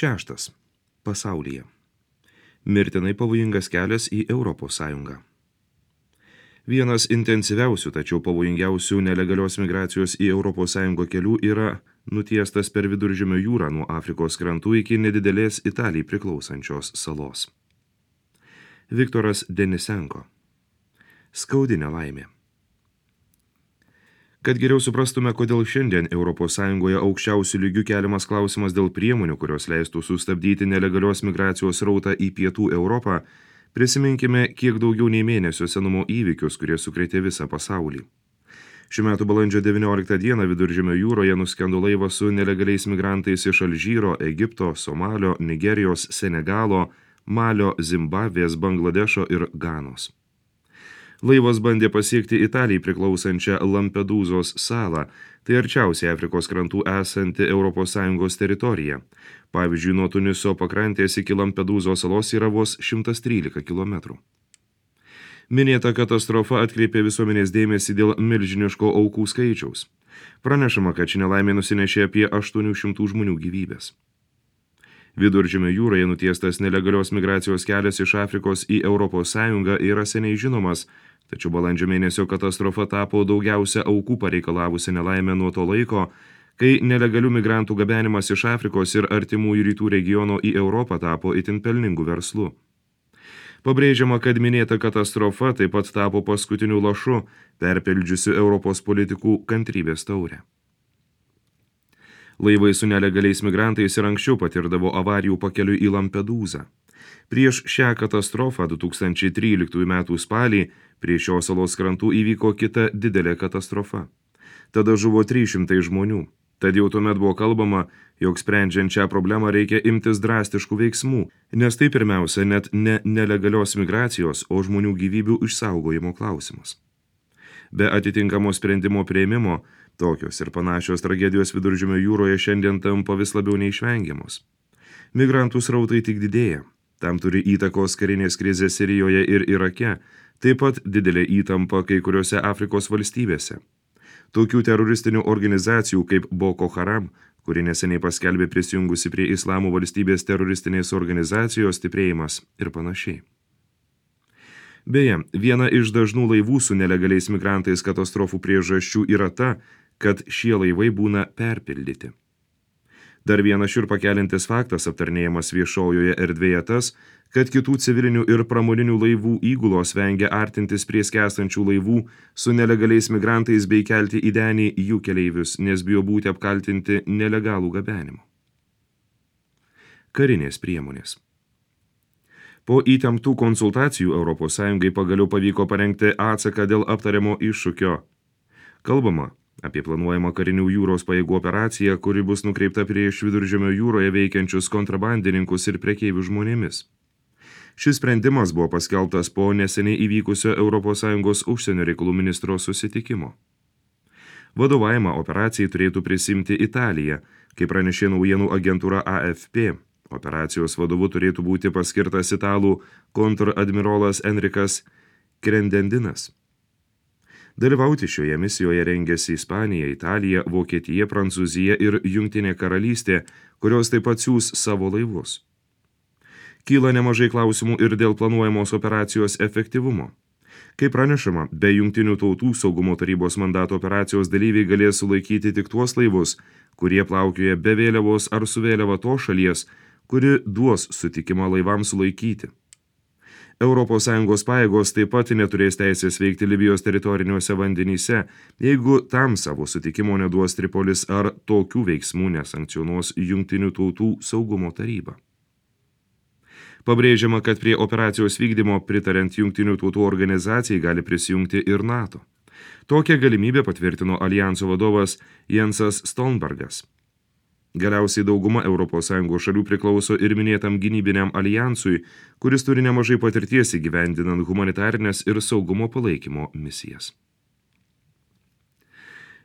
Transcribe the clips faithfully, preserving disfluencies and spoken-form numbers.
Šeštas. Pasaulyje. Mirtinai pavojingas kelias į Europos Sąjungą. Vienas intensyviausių, tačiau pavojingiausių nelegalios migracijos į Europos Sąjungą kelių yra nutiestas per Viduržemio jūrą nuo Afrikos krantų iki nedidelės Italijai priklausančios salos. Viktoras Denisenko. Skaudi nelaimė. Kad geriau suprastume, kodėl šiandien Europos Sąjungoje aukščiausių lygių keliamas klausimas dėl priemonių, kurios leistų sustabdyti nelegalios migracijos srautą į pietų Europą, prisiminkime kiek daugiau nei mėnesio senumo įvykius, kurie sukrėtė visą pasaulį. Šių metų balandžio devynioliktą dieną Viduržemio jūroje nuskendo laivas su nelegaliais migrantais iš Alžyro, Egipto, Somalio, Nigerijos, Senegalo, Malio, Zimbabvės, Bangladešo ir Ganos. Laivas bandė pasiekti Italijai priklausančią Lampedūzos salą, tai arčiausiai Afrikos krantų esanti Europos Sąjungos teritorija. Pavyzdžiui, nuo Tuniso pakrantės iki Lampedūzos salos yra vos šimtas trylika kilometrų. Minėta katastrofa atkreipė visuomenės dėmesį dėl milžiniško aukų skaičiaus. Pranešama, kad ši nelaimė nusinešė apie aštuonių šimtų žmonių gyvybės. Viduržemio jūroje nutiestas nelegalios migracijos kelias iš Afrikos į Europos Sąjungą yra seniai žinomas, tačiau balandžio mėnesio katastrofa tapo daugiausia aukų pareikalavusi nelaimę nuo to laiko, kai nelegalių migrantų gabenimas iš Afrikos ir artimųjų rytų regiono į Europą tapo itin pelningu verslu. Pabrėžiama, kad minėta katastrofa taip pat tapo paskutiniu lašu, perpildžiusiu Europos politikų kantrybės taurę. Laivai su nelegaliais migrantais ir anksčiau patirdavo avarijų pakeliui į Lampedūzą. Prieš šią katastrofą du tūkstančiai tryliktųjų metų spalį prie šios salos krantų įvyko kita didelė katastrofa. Tada žuvo trys šimtai žmonių. Tad jau tuomet buvo kalbama, jog sprendžiant šią problemą reikia imtis drastiškų veiksmų, nes tai pirmiausia net ne nelegalios migracijos, o žmonių gyvybių išsaugojimo klausimas. Be atitinkamo sprendimo priėmimo, tokios ir panašios tragedijos Viduržemio jūroje šiandien tampa vis labiau neišvengiamos. Migrantų srautai tik didėja. Tam turi įtakos karinės krizės Sirijoje ir Irake, taip pat didelė įtampa kai kuriuose Afrikos valstybėse. Tokių teroristinių organizacijų kaip Boko Haram, kuri neseniai paskelbė prisijungusi prie Islamo valstybės teroristinės organizacijos stiprėjimas ir panašiai. Beje, viena iš dažnų laivų su nelegaliais migrantais katastrofų priežasčių yra ta, kad šie laivai būna perpildyti. Dar vienas šiurpą keliantis faktas aptarnėjamas viešojoje erdvėje tas, kad kitų civilinių ir pramoninių laivų įgulos vengia artintis prie skęstančių laivų su nelegaliais migrantais bei kelti į denį jų keleivius, nes bijo būti apkaltinti nelegalų gabenimu. Karinės priemonės. Po įtemptų konsultacijų Europos Sąjungai pagaliau pavyko parengti atsaką dėl aptariamo iššūkio. Kalbama apie planuojamą karinių jūros pajėgų operaciją, kuri bus nukreipta prieš Viduržemio jūroje veikiančius kontrabandininkus ir prekeivių žmonėmis. Šis sprendimas buvo paskelbtas po neseniai įvykusio Europos Sąjungos užsienio reikalų ministro susitikimo. Vadovavimą operacijai turėtų prisimti Italija, kaip pranešė naujienų agentūra A F P. Operacijos vadovu turėtų būti paskirtas italų kontradmirolas Enrikas Krendendinas. Dalyvauti šioje misijoje rengėsi Ispanija, Italija, Vokietija, Prancūzija ir Jungtinė karalystė, kurios taip pat siųs savo laivus. Kyla nemažai klausimų ir dėl planuojamos operacijos efektyvumo. Kaip pranešama, be Jungtinių tautų saugumo tarybos mandato operacijos dalyviai galės sulaikyti tik tuos laivus, kurie plaukioja be vėliavos ar su vėliava tos šalies, kuri duos sutikimą laivams sulaikyti. Europos Sąjungos pajėgos taip pat neturės teisės veikti Libijos teritoriniuose vandenyse, jeigu tam savo sutikimo neduos Tripolis ar tokių veiksmų nesankcionuos Jungtinių tautų saugumo taryba. Pabrėžiama, kad prie operacijos vykdymo pritariant Jungtinių tautų organizacijai gali prisijungti ir NATO. Tokią galimybę patvirtino alijanso vadovas Jensas Stoltenbergas. Galiausiai dauguma Europos Sąjungos šalių priklauso ir minėtam gynybiniam alijansui, kuris turi nemažai patirties įgyvendinant humanitarinės ir saugumo palaikymo misijas.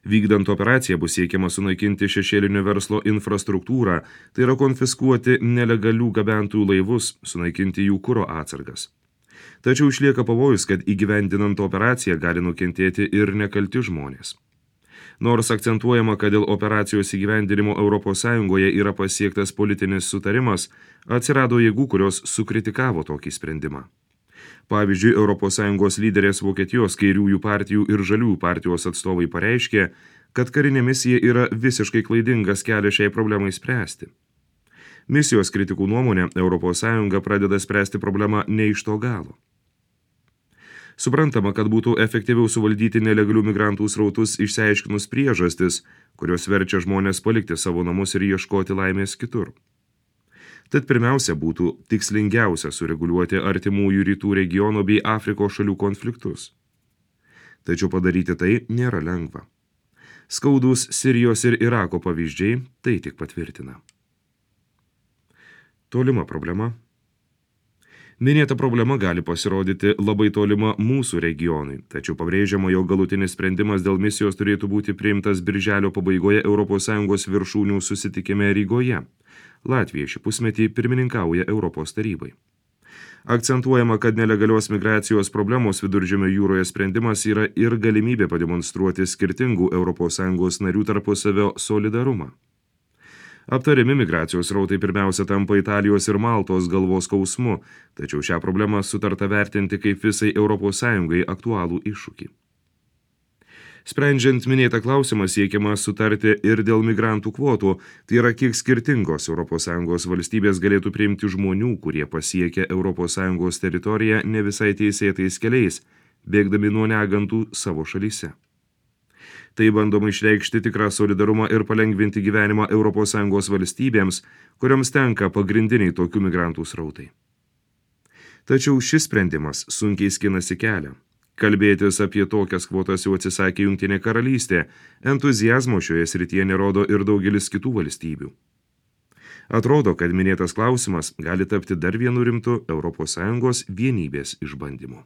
Vykdant operaciją bus siekiama sunaikinti šešėlinio verslo infrastruktūrą, tai yra konfiskuoti nelegalių gabentojų laivus, sunaikinti jų kuro atsargas. Tačiau išlieka pavojus, kad įgyvendinant operaciją gali nukentėti ir nekalti žmonės. Nors akcentuojama, kad dėl operacijos įgyvendinimo Europos Sąjungoje yra pasiektas politinis sutarimas, atsirado jėgų, kurios sukritikavo tokį sprendimą. Pavyzdžiui, Europos Sąjungos lyderės Vokietijos kairiųjų partijų ir žaliųjų partijos atstovai pareiškė, kad karinė misija yra visiškai klaidingas kelias šiai problemai spręsti. Misijos kritikų nuomonė, Europos Sąjunga pradeda spręsti problemą ne iš to galo. Suprantama, kad būtų efektyviau suvaldyti nelegalių migrantų srautus išsiaiškinus priežastis, kurios verčia žmonės palikti savo namus ir ieškoti laimės kitur. Tad pirmiausia būtų tikslingiausia sureguliuoti artimųjų rytų regiono bei Afrikos šalių konfliktus. Tačiau padaryti tai nėra lengva. Skaudus Sirijos ir Irako pavyzdžiai tai tik patvirtina. Tolima problema. Minėta problema gali pasirodyti labai tolima mūsų regionui, tačiau pabrėžiama, jog galutinis sprendimas dėl misijos turėtų būti priimtas birželio pabaigoje Europos Sąjungos viršūnių susitikime Rygoje. Latvija šį pusmetį pirmininkauja Europos tarybai. Akcentuojama, kad nelegalios migracijos problemos Viduržemio jūroje sprendimas yra ir galimybė pademonstruoti skirtingų Europos Sąjungos narių tarpusavio solidarumą. Aptariami migracijos rautai pirmiausia tampa Italijos ir Maltos galvos skausmu, tačiau šią problemą sutarta vertinti kaip visai Europos Sąjungai aktualų iššūkį. Sprendžiant minėtą klausimą siekiama sutarti ir dėl migrantų kvotų, tai yra kiek skirtingos Europos Sąjungos valstybės galėtų priimti žmonių, kurie pasiekia Europos Sąjungos teritoriją ne visai teisėtais keliais, bėgdami nuo negantų savo šalyse. Tai bandoma išreikšti tikrą solidarumą ir palengvinti gyvenimą Europos Sąjungos valstybėms, kurioms tenka pagrindiniai tokių migrantų srautai. Tačiau šis sprendimas sunkiai skinasi kelią. Kalbėtis apie tokias kvotas jau atsisakė Jungtinė karalystė, entuziazmo šioje srityje nerodo ir daugelis kitų valstybių. Atrodo, kad minėtas klausimas gali tapti dar vienu rimtu Europos Sąjungos vienybės išbandymu.